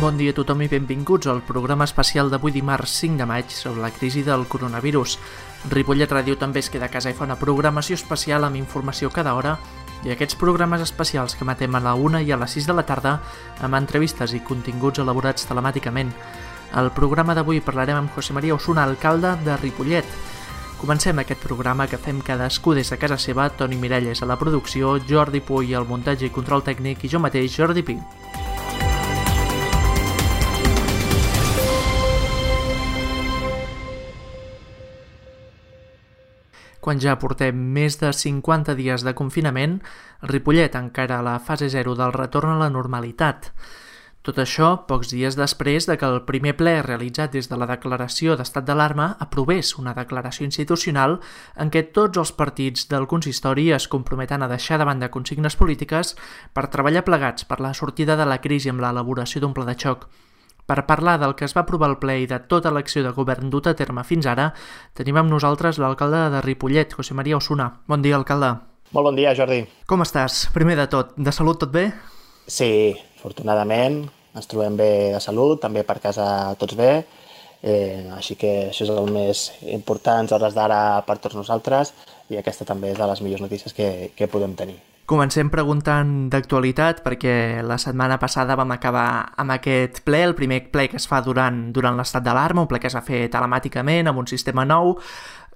Bon dia a tothom i benvinguts al programa especial d'avui dimarts 5 de maig sobre la crisi del coronavirus. Ripollet Ràdio també es queda a casa i fa una programació especial amb informació cada hora i aquests programes especials que emetem a la 1 i a les 6 de la tarda amb entrevistes i continguts elaborats telemàticament. Al programa d'avui parlarem amb José María Osuna, alcalde de Ripollet. Comencem aquest programa que fem cadascú des de casa seva, Toni Miralles a la producció, Jordi Puy al muntatge i control tècnic i jo mateix, Jordi Pi. Quan ja portem més de 50 dies de confinament, Ripollet encara a la fase 0 del retorn a la normalitat. Tot això, pocs dies després de que el primer ple realitzat des de la declaració d'estat d'alarma aprovés una declaració institucional en què tots els partits del consistori es comprometen a deixar de banda consignes polítiques per treballar plegats per la sortida de la crisi amb l'elaboració d'un pla de xoc. Per parlar del que es va aprovar al ple i de tota l'acció de govern dut a terme fins ara, tenim amb nosaltres l'alcalde de Ripollet, José María Osuna. Bon dia, alcalde. Molt bon dia, Jordi. Com estàs? Primer de tot, de salut tot bé? Sí, afortunadament ens trobem bé de salut, també per casa tots bé, així que això és el més important a hores d'ara per tots nosaltres i aquesta també és de les millors notícies que podem tenir. Comencem preguntant d'actualitat perquè la setmana passada vam acabar amb aquest ple, el primer ple que es fa durant l'estat d'alarma, un ple que es va fer telemàticament amb un sistema nou,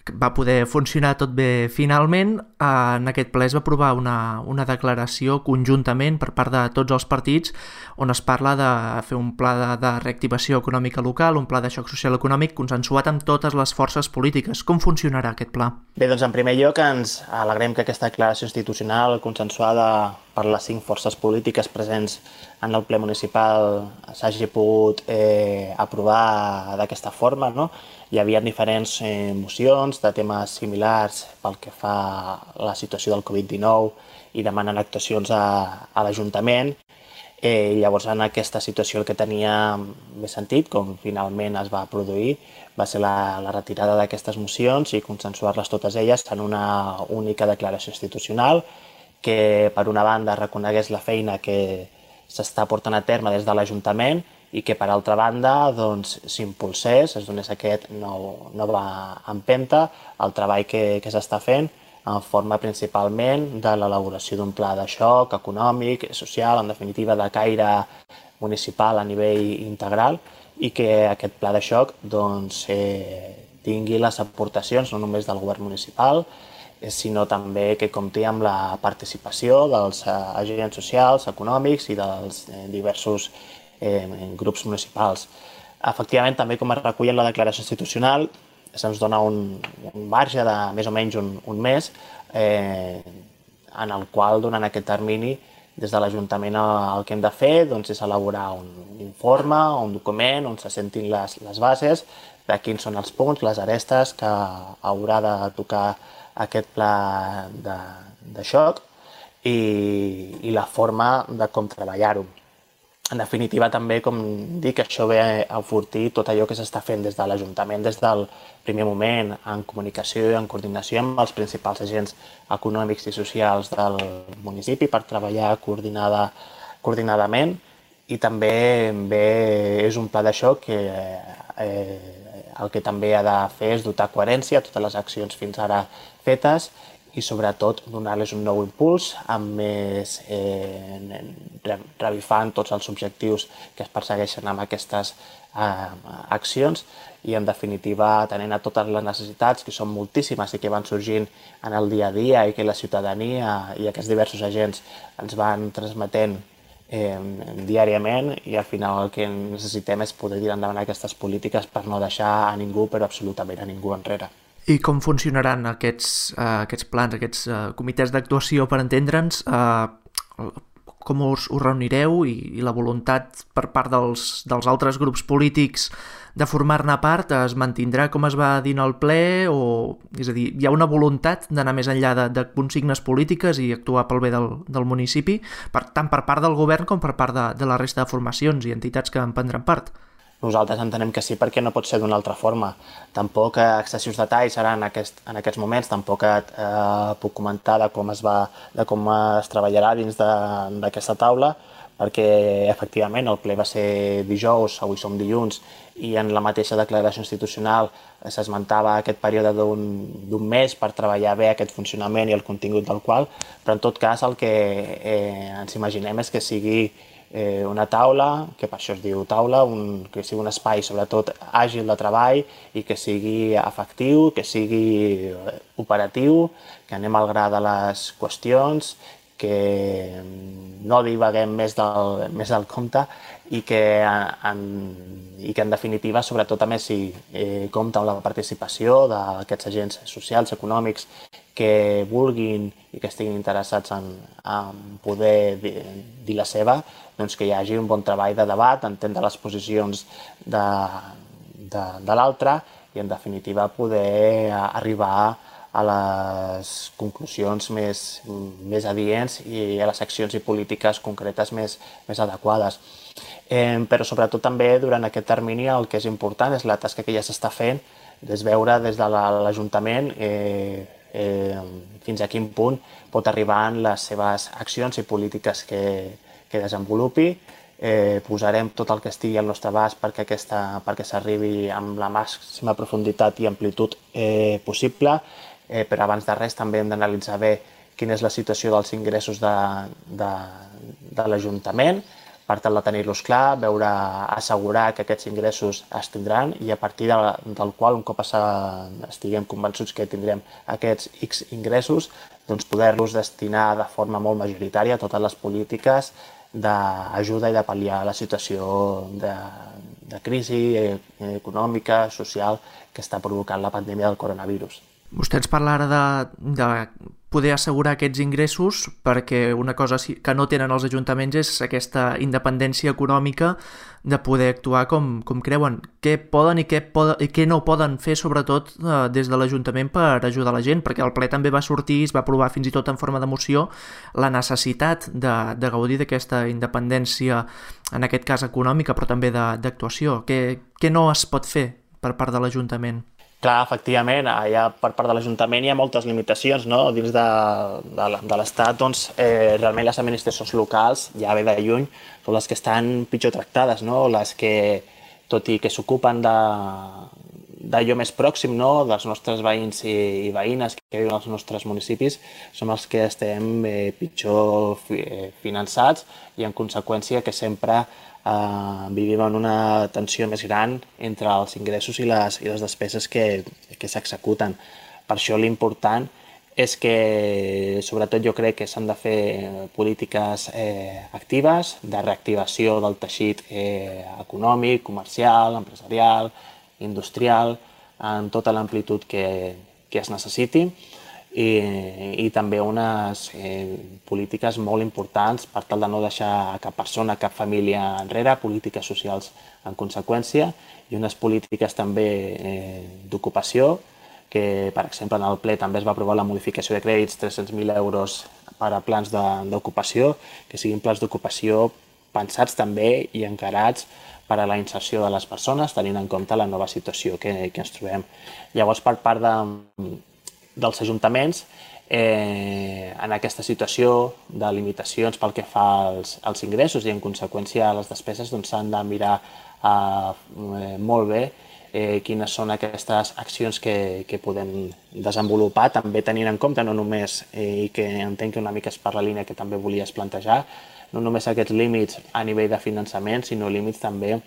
va poder funcionar tot bé finalment. En aquest ple es va aprovar una declaració conjuntament per part de tots els partits on es parla de fer un pla de reactivació econòmica local, un pla de xoc social econòmic consensuat amb totes les forces polítiques. Com funcionarà aquest pla? Bé, doncs en primer lloc ens alegrem que aquesta declaració institucional consensuada per les 5 forces polítiques presents en el ple municipal s'hagi pogut aprovar d'aquesta forma, no? Hi havia diferents mocions de temes similars pel que fa a la situació del Covid-19 i demanen actuacions a l'Ajuntament. Llavors, en aquesta situació el que tenia més sentit, com finalment es va produir, va ser la retirada d'aquestes mocions i consensuar-les totes elles en una única declaració institucional que, per una banda, reconegués la feina que s'està portant a terme des de l'Ajuntament i que, per altra banda, s'impulsés, es donés aquest nova empenta al treball que s'està fent en forma principalment de l'elaboració d'un pla de xoc econòmic, social, en definitiva de caire municipal a nivell integral i que aquest pla de xoc tingui les aportacions no només del govern municipal, sinó també que compti amb la participació dels agents socials, econòmics i dels diversos grups municipals. Efectivament, també com es recull en la declaració institucional, se'ns dona un marge de més o menys un mes en el qual, durant aquest termini, des de l'Ajuntament el que hem de fer és elaborar un informe, un document on se sentin les bases de quins són els punts, les arestes que haurà de tocar aquest pla de xoc i la forma de com treballar-ho. En definitiva, també, com dic, això ve a enfortir tot allò que s'està fent des de l'Ajuntament des del primer moment, en comunicació i en coordinació amb els principals agents econòmics i socials del municipi per treballar coordinadament i també és un pla de xoc que el que també ha de fer és dotar coherència a totes les accions fins ara fetes i sobretot donar-les un nou impuls amb més revifant tots els objectius que es persegueixen amb aquestes accions i en definitiva atenent a totes les necessitats que són moltíssimes i que van sorgint en el dia a dia i que la ciutadania i aquests diversos agents ens van transmetent diàriament i al final el que necessitem és poder tirar endavant aquestes polítiques per no deixar a ningú, però absolutament a ningú enrere. I com funcionaran aquests plans, aquests comitès d'actuació, per entendre'ns? Com us reunireu i la voluntat per part dels altres grups polítics de formar-ne part es mantindrà com es va dir en el ple? És a dir, hi ha una voluntat d'anar més enllà de consignes polítiques i actuar pel bé del municipi, tant per part del govern com per part de la resta de formacions i entitats que en prendran part? Nosaltres entenem que sí, perquè no pot ser d'una altra forma. Tampoc excessius detalls ara en aquests moments, tampoc puc comentar de com es treballarà dins d'aquesta taula, perquè efectivament el ple va ser dijous, avui som dilluns, i en la mateixa declaració institucional s'esmentava aquest període d'un mes per treballar bé aquest funcionament i el contingut del qual, però en tot cas el que ens imaginem és que sigui una taula, que per això es diu taula, que sigui un espai sobretot àgil de treball i que sigui efectiu, que sigui operatiu, que anem al gra de les qüestions, que no divaguem més del compte i que en definitiva, sobretot també si compta amb la participació d'aquests agents socials, econòmics, que vulguin i que estiguin interessats en poder dir la seva, doncs que hi hagi un bon treball de debat, entendre les posicions de l'altre i en definitiva poder arribar a les conclusions més adients i a les accions i polítiques concretes més adequades. Però sobretot també durant aquest termini el que és important és la tasca que ja s'està fent, és veure des de l'Ajuntament fins a quin punt pot arribar en les seves accions i polítiques que desenvolupi. Posarem tot el que estigui al nostre abast perquè s'arribi amb la màxima profunditat i amplitud possible, però abans de res també hem d'analitzar bé quina és la situació dels ingressos de l'Ajuntament, per tal de tenir-los clar, assegurar que aquests ingressos es tindran i a partir del qual, un cop estiguem convençuts que tindrem aquests X ingressos, doncs poder-los destinar de forma molt majoritària a totes les polítiques d'ajuda i de pal·liar la situació de crisi econòmica, social que està provocant la pandèmia del coronavirus. Vostè ens parla ara de poder assegurar aquests ingressos perquè una cosa que no tenen els ajuntaments és aquesta independència econòmica de poder actuar com creuen. Què poden i què no poden fer, sobretot des de l'Ajuntament per ajudar la gent? Perquè el ple també va sortir, es va aprovar fins i tot en forma de moció, la necessitat de gaudir d'aquesta independència, en aquest cas econòmica, però també d'actuació. Què no es pot fer per part de l'Ajuntament? Clar, efectivament, per part de l'Ajuntament hi ha moltes limitacions, no? Dins de l'Estat, doncs, realment les administracions locals, ja ve de lluny, són les que estan pitjor tractades, no? Les que, tot i que s'ocupen d'allò més pròxim, no? Dels nostres veïns i veïnes que viuen als nostres municipis, som els que estem pitjor finançats i en conseqüència que sempre vivim en una tensió més gran entre els ingressos i les despeses que s'executen. Per això l'important és que, sobretot jo crec que s'han de fer polítiques actives de reactivació del teixit econòmic, comercial, empresarial, industrial, en tota l'amplitud que es necessiti. I també unes polítiques molt importants per tal de no deixar cap persona, cap família enrere, polítiques socials en conseqüència i unes polítiques també d'ocupació, que per exemple en el ple també es va aprovar la modificació de crèdits 300.000 euros per a plans d'ocupació, que siguin plans d'ocupació pensats també i encarats per a la inserció de les persones, tenint en compte la nova situació que ens trobem. Llavors, per part dels ajuntaments, en aquesta situació de limitacions pel que fa als ingressos i en conseqüència a les despeses, s'han de mirar molt bé quines són aquestes accions que podem desenvolupar, també tenint en compte no només, i que entenc que una mica és per la línia que també volies plantejar, no només aquests límits a nivell de finançament, sinó límits també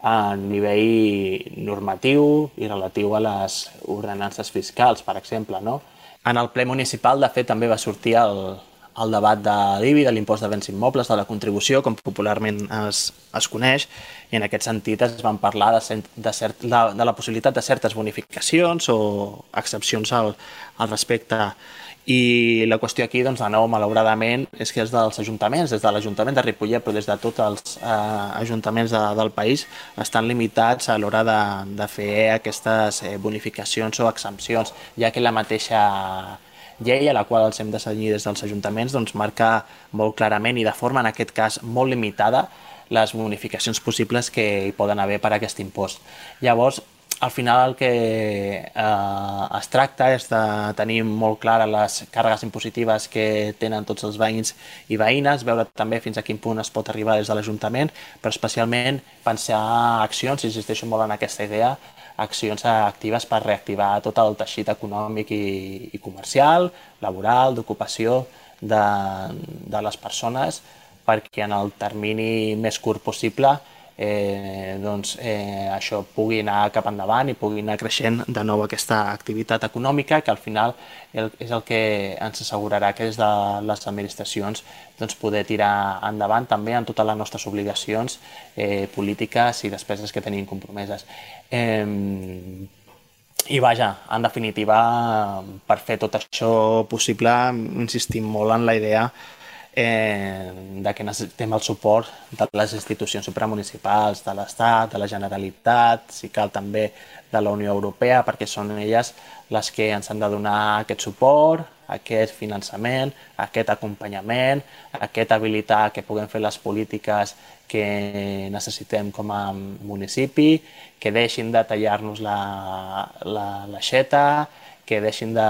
a nivell normatiu i relatiu a les ordenances fiscals, per exemple, no? En el ple municipal, de fet, també va sortir el debat de l'IBI, de l'impost de béns immobles, de la contribució, com popularment es coneix, i en aquest sentit es van parlar de la possibilitat de certes bonificacions o excepcions al respecte. I la qüestió aquí, doncs, de nou, malauradament, és que és dels ajuntaments, des de l'Ajuntament de Ripollet, però des de tots els ajuntaments del país, estan limitats a l'hora de fer aquestes bonificacions o exempcions, ja que la mateixa llei a la qual els hem de cenyir des dels ajuntaments doncs, marca molt clarament i de forma, en aquest cas, molt limitada les bonificacions possibles que hi poden haver per a aquest impost. Llavors, al final el que es tracta és de tenir molt clares les càrregues impositives que tenen tots els veïns i veïnes, veure també fins a quin punt es pot arribar des de l'Ajuntament, però especialment pensar accions, insisteixo molt en aquesta idea, accions actives per reactivar tot el teixit econòmic i comercial, laboral, d'ocupació de les persones, perquè en el termini més curt possible això pugui anar cap endavant i pugui anar creixent de nou aquesta activitat econòmica, que al final és el que ens assegurarà que des de les administracions poder tirar endavant també en totes les nostres obligacions polítiques i despeses que tenim compromeses. I vaja, en definitiva, per fer tot això possible, insistim molt en la idea de que necessitem el suport de les institucions supramunicipals, de l'Estat, de la Generalitat, si cal també de la Unió Europea, perquè són elles les que ens han de donar aquest suport, aquest finançament, aquest acompanyament, aquest habilitar que puguem fer les polítiques que necessitem com a municipi, que deixin de tallar-nos l'aixeta, que deixin de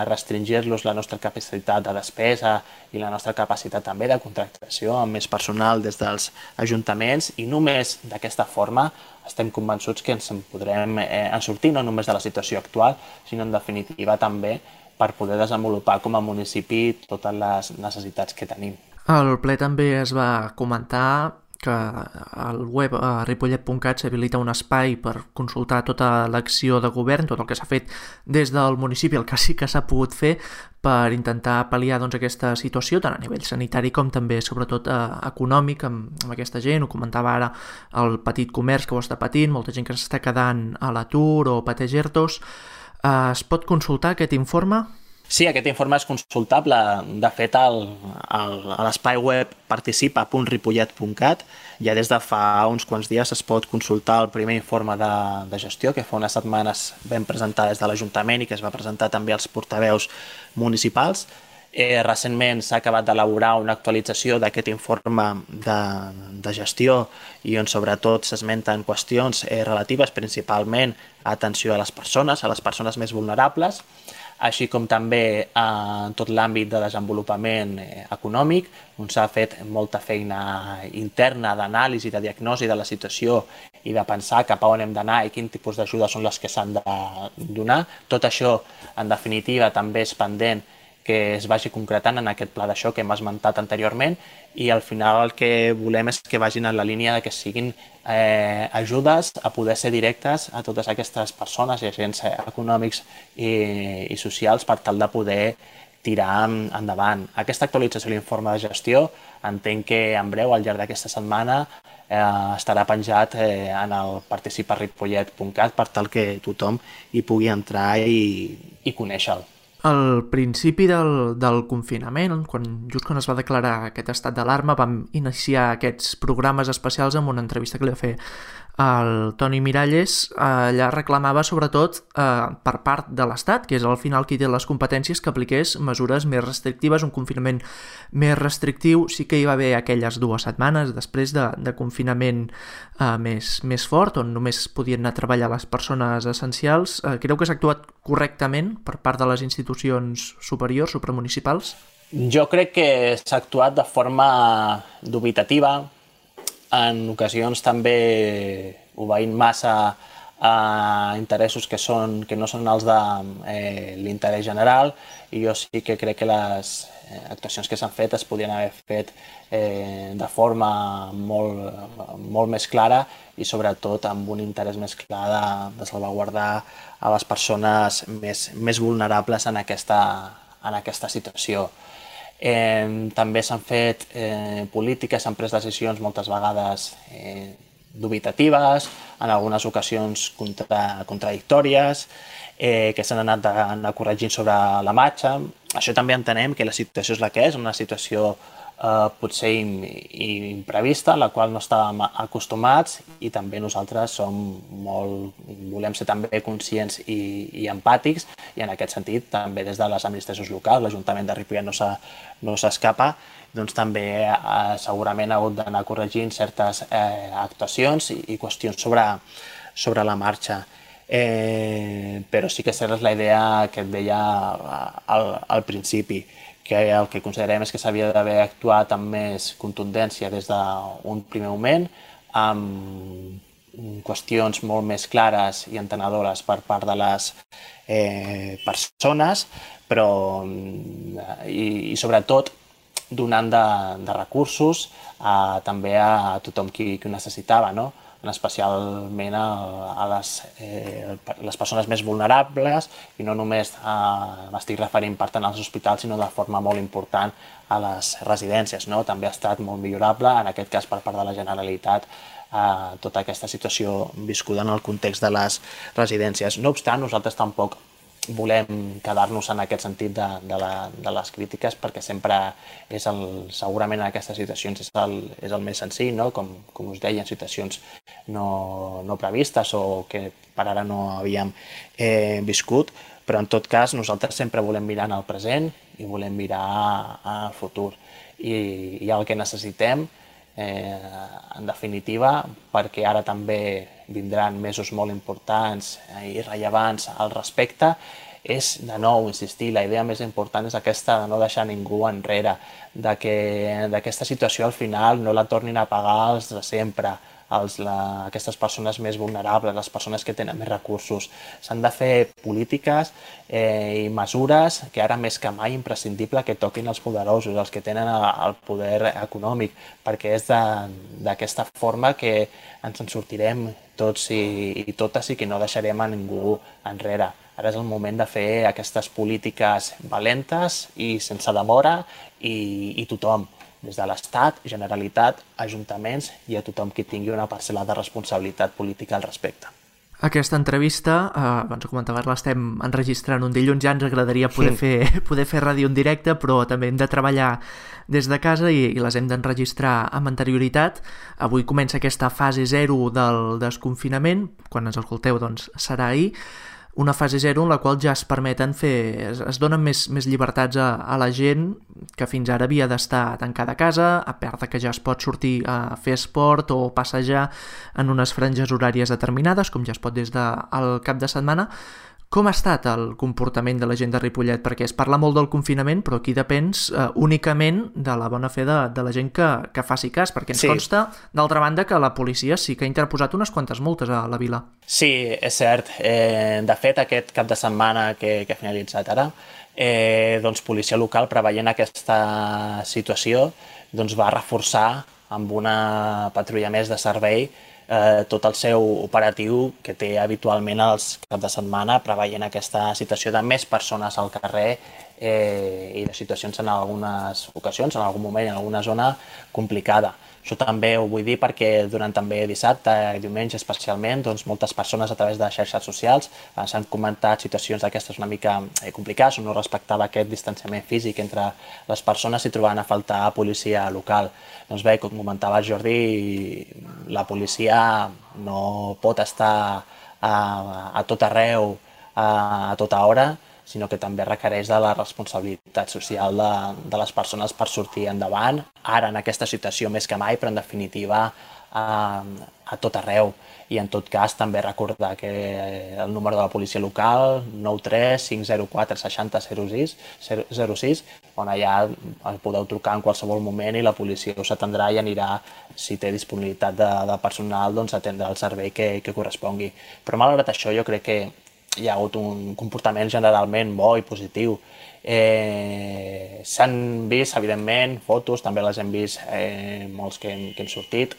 restringir-los la nostra capacitat de despesa i la nostra capacitat també de contractació amb més personal des dels ajuntaments, i només d'aquesta forma estem convençuts que ens en podrem sortir no només de la situació actual, sinó en definitiva també per poder desenvolupar com a municipi totes les necessitats que tenim. Al ple també es va comentar que al web ripollet.cat s'habilita un espai per consultar tota l'acció de govern, tot el que s'ha fet des del municipi, el que sí que s'ha pogut fer per intentar pal·liar aquesta situació, tant a nivell sanitari com també, sobretot, econòmic amb aquesta gent. Ho comentava ara el petit comerç que ho està patint, molta gent que s'està quedant a l'atur o pateix ERTOs. Es pot consultar aquest informe? Sí, aquest informe és consultable. De fet, a l'espai web participa.ripollet.cat ja des de fa uns quants dies es pot consultar el primer informe de gestió que fa unes setmanes vam presentar des de l'Ajuntament i que es va presentar també als portaveus municipals. Recentment s'ha acabat d'elaborar una actualització d'aquest informe de gestió i on sobretot s'esmenten qüestions relatives principalment a atenció a les persones més vulnerables, així com també en tot l'àmbit de desenvolupament econòmic, on s'ha fet molta feina interna d'anàlisi, de diagnosi de la situació i de pensar cap a on hem d'anar i quin tipus d'ajudes són les que s'han de donar. Tot això, en definitiva, també és pendent que es vagi concretant en aquest pla de xoc que hem esmentat anteriorment, i al final el que volem és que vagin en la línia de que siguin ajudes a poder ser directes a totes aquestes persones i agents econòmics i socials per tal de poder tirar endavant. Aquesta actualització de l'informe de gestió entenc que en breu, al llarg d'aquesta setmana, estarà penjat en el participa.ripollet.cat per tal que tothom hi pugui entrar i conèixer-lo. Al principi del confinament, just quan es va declarar aquest estat d'alarma, vam iniciar aquests programes especials amb una entrevista que li va fer el Toni Miralles. Allà reclamava sobretot per part de l'Estat, que és al final qui té les competències, que apliqués mesures més restrictives, un confinament més restrictiu. Sí que hi va haver aquelles 2 setmanes després de confinament més fort, on només podien anar a treballar les persones essencials. Creu que s'ha actuat correctament per part de les institucions superiors, supramunicipals? Jo crec que s'ha actuat de forma dubitativa, en ocasions també obeint massa a interessos que no són els de l'interès general, i jo sí que crec que les actuacions que s'han fet es podrien haver fet de forma molt més clara i sobretot amb un interès més clar de salvaguardar a les persones més vulnerables en aquesta situació. També s'han fet polítiques, s'han pres decisions moltes vegades dubitatives, en algunes ocasions contradictòries, que s'han anat corregint sobre la marxa. Això també entenem que la situació és la que és, una situació potser imprevista, a la qual no estàvem acostumats, i també nosaltres volem ser també conscients i empàtics, i en aquest sentit també des de les administracions locals, l'Ajuntament de Ripollet no s'escapa, doncs també segurament ha hagut d'anar corregint certes actuacions i qüestions sobre la marxa. Però sí que és la idea que et deia al principi, que el que considerem és que s'havia d'haver actuat amb més contundència des d'un primer moment, amb qüestions molt més clares i entenedores per part de les persones, però i sobretot donant de recursos també a tothom qui ho necessitava, no? Especialment a les persones més vulnerables, i no només m'estic referint per tant als hospitals, sinó de forma molt important a les residències, no? També ha estat molt millorable, en aquest cas per part de la Generalitat, tota aquesta situació viscuda en el context de les residències. No obstant, nosaltres tampoc volem quedar-nos en aquest sentit de les crítiques, perquè sempre és segurament en aquestes situacions és el més senzill, no? Com us deia, en situacions no previstes o que per ara no havíem viscut, però en tot cas nosaltres sempre volem mirar en el present i volem mirar al futur. I el que necessitem, en definitiva, perquè ara també vindran mesos molt importants i rellevants al respecte, és de nou insistir, la idea més important és aquesta de no deixar ningú enrere, que aquesta situació al final no la tornin a pagar els de sempre, aquestes persones més vulnerables, les persones que tenen més recursos. S'han de fer polítiques i mesures que ara més que mai imprescindible que toquin els poderosos, els que tenen el poder econòmic, perquè és d'aquesta forma que ens en sortirem tots i totes i que no deixarem a ningú enrere. Ara és el moment de fer aquestes polítiques valentes i sense demora i tothom, des de l'Estat, Generalitat, ajuntaments i a tothom qui tingui una parcel·la de responsabilitat política al respecte. Aquesta entrevista, abans ho comentaves, l'estem enregistrant un dilluns, ja ens agradaria poder fer ràdio en directe, però també hem de treballar des de casa i les hem d'enregistrar amb anterioritat. Avui comença aquesta fase 0 del desconfinament, quan ens escolteu doncs serà ahir, una fase 0 en la qual ja es permeten es donen més llibertats a la gent que fins ara havia d'estar tancada a casa, a part que ja es pot sortir a fer esport o passejar en unes franges horàries determinades, com ja es pot des del cap de setmana. Com ha estat el comportament de la gent de Ripollet? Perquè es parla molt del confinament, però aquí depens únicament de la bona fe de la gent que faci cas, perquè ens consta, d'altra banda, que la policia sí que ha interposat unes quantes multes a la vila. Sí, és cert. De fet, aquest cap de setmana que ha finalitzat ara, doncs policia local, preveient aquesta situació, doncs va reforçar amb una patrulla més de servei tot el seu operatiu que té habitualment els caps de setmana, preveient aquesta situació de més persones al carrer i de situacions en algunes ocasions, en algun moment, en alguna zona complicada. Això també ho vull dir perquè durant també dissabte i diumenge especialment, doncs moltes persones a través de xarxes socials s'han comentat situacions d'aquestes una mica complicades, on no respectava aquest distanciament físic entre les persones i trobaven a faltar policia local. Doncs bé, com comentava el Jordi, la policia no pot estar a tot arreu, a tota hora, sinó que també requereix de la responsabilitat social de les persones per sortir endavant, ara en aquesta situació més que mai, però en definitiva a tot arreu. I en tot cas també recordar que el número de la policia local, 93 504 60 06, on allà podeu trucar en qualsevol moment i la policia us atendrà i anirà, si té disponibilitat de personal, doncs atendre el servei que correspongui. Però malgrat això jo crec que hi ha hagut un comportament generalment bo i positiu. S'han vist, evidentment, fotos, també les hem vist molts que hem sortit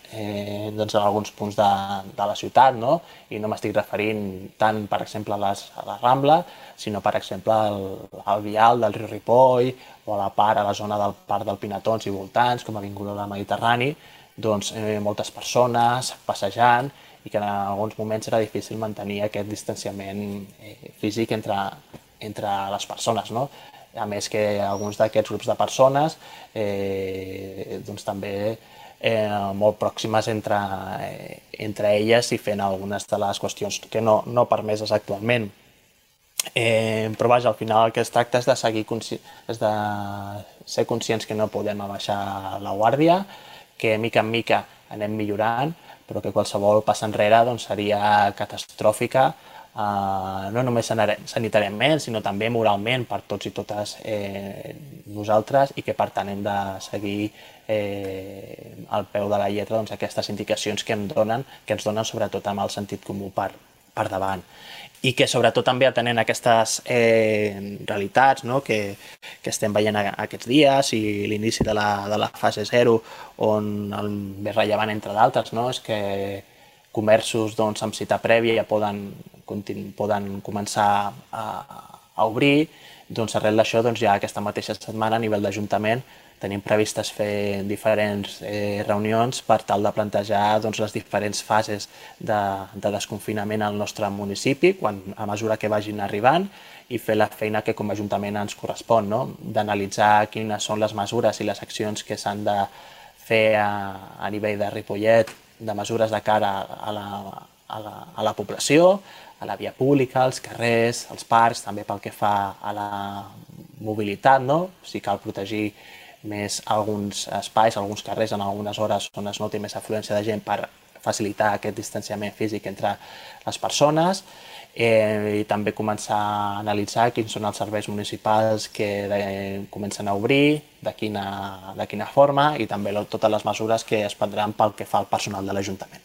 doncs en alguns punts de la ciutat, no? I no m'estic referint tant, per exemple, a la Rambla, sinó, per exemple, al vial del riu Ripoll o a la zona del Parc del Pinatons i voltants, com a Avinguda del Mediterrani, doncs moltes persones passejant, i que en alguns moments era difícil mantenir aquest distanciament físic entre les persones, no? A més que alguns d'aquests grups de persones doncs també molt pròximes entre elles i fent algunes de les qüestions que no permeses actualment. Però vaja, al final el que es tracta és de ser conscients que no podem abaixar la guàrdia, que mica en mica anem millorant, però que qualsevol pas enrere doncs, seria catastròfica no només sanitàriament, sinó també moralment per tots i totes nosaltres, i que per tant hem de seguir al peu de la lletra aquestes indicacions que ens donen sobretot amb el sentit comú per davant. I que sobretot també atenent aquestes realitats que estem veient aquests dies i l'inici de la fase 0, on el més rellevant entre d'altres és que comerços amb cita prèvia ja poden començar a obrir. Arrel d'això, ja aquesta mateixa setmana a nivell d'Ajuntament tenim previstes fer diferents reunions per tal de plantejar les diferents fases de desconfinament al nostre municipi a mesura que vagin arribant, i fer la feina que com a Ajuntament ens correspon, d'analitzar quines són les mesures i les accions que s'han de fer a nivell de Ripollet, de mesures de cara a la població, a la via pública, als carrers, als parcs, també pel que fa a la mobilitat, si cal protegir més alguns espais, alguns carrers en algunes hores on es noti més afluència de gent per facilitar aquest distanciament físic entre les persones, i també començar a analitzar quins són els serveis municipals que comencen a obrir, de quina forma, i també totes les mesures que es prendran pel que fa al personal de l'Ajuntament.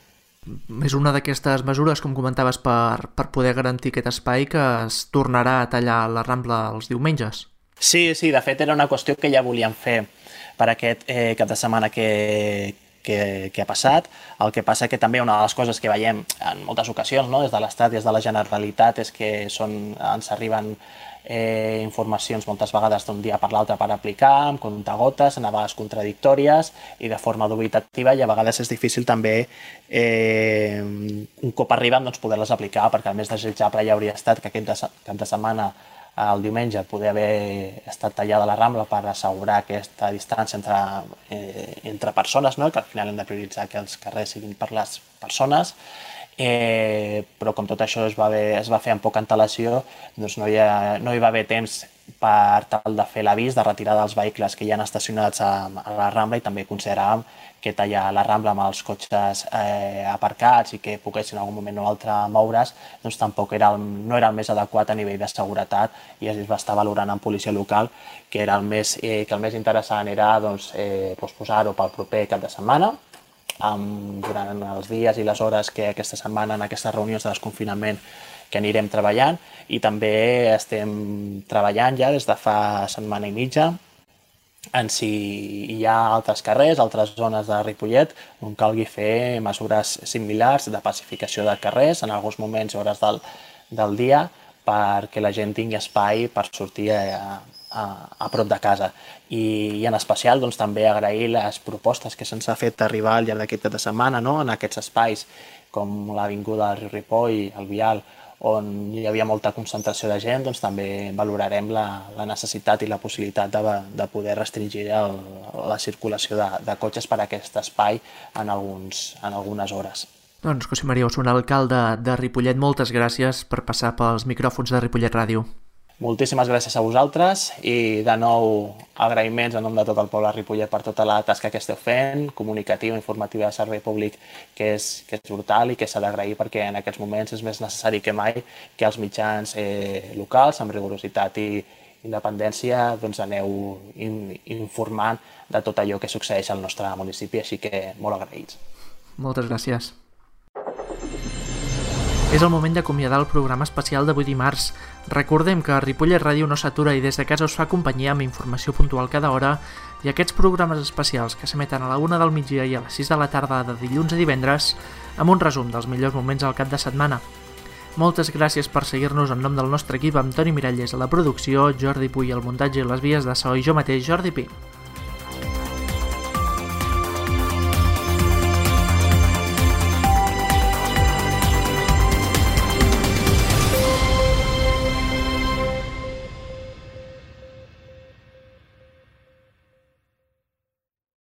És una d'aquestes mesures, com comentaves, per poder garantir aquest espai que es tornarà a tallar la Rambla els diumenges. Sí, de fet era una qüestió que ja volíem fer per aquest cap de setmana que ha passat. El que passa que també una de les coses que veiem en moltes ocasions des de l'Estat i des de la Generalitat és que ens arriben informacions moltes vegades d'un dia per l'altre per aplicar, amb comptagotes, a vegades contradictòries i de forma dubitativa, i a vegades és difícil també, un cop arriben, poder-les aplicar, perquè el més desitjable ja hauria estat que aquest cap de setmana, el diumenge, poder haver estat tallada la Rambla per assegurar aquesta distància entre persones, que al final hem de prioritzar que els carrers siguin per les persones, però com tot això es va fer amb poca antelació, no hi va haver temps per tal de fer l'avís de retirada dels vehicles que hi ha estacionats a la Rambla, i també consideràvem que tallar la Rambla amb els cotxes aparcats i que poguessin en algun moment o altre moure's, tampoc no era el més adequat a nivell de seguretat, i es va estar valorant amb policia local que el més interessant era posar-ho pel proper cap de setmana, durant els dies i les hores que aquesta setmana en aquestes reunions de desconfinament que anirem treballant, i també estem treballant ja des de fa setmana i mitja en si hi ha altres carrers, altres zones de Ripollet on calgui fer mesures similars de pacificació de carrers en alguns moments i hores del dia perquè la gent tingui espai per sortir a prop de casa. I en especial també agrair les propostes que se'ns ha fet arribar al llarg d'aquest cap de setmana en aquests espais com l'avinguda del riu Ripoll, el Vial, on hi havia molta concentració de gent, també valorarem la necessitat i la possibilitat de poder restringir la circulació de cotxes per a aquest espai en algunes hores. Doncs José María Osuna, alcalde de Ripollet, moltes gràcies per passar pels micròfons de Ripollet Ràdio. Moltíssimes gràcies a vosaltres i de nou agraïments en nom de tot el poble de Ripollet per tota la tasca que esteu fent, comunicativa, informativa de servei públic, que és brutal i que s'ha d'agrair perquè en aquests moments és més necessari que mai que els mitjans locals, amb rigorositat i independència, aneu informant de tot allò que succeeix al nostre municipi, així que molt agraïts. Moltes gràcies. És el moment d'acomiadar el programa especial d'avui dimarts. Recordem que Ripollet Ràdio no s'atura i des de casa us fa companyia amb informació puntual cada hora, i aquests programes especials que s'emeten a la 1 del migdia i a les 6 de la tarda de dilluns a divendres amb un resum dels millors moments al cap de setmana. Moltes gràcies per seguir-nos en nom del nostre equip, amb Toni Miralles a la producció, Jordi Puy al muntatge i les vies de so i jo mateix, Jordi Pi.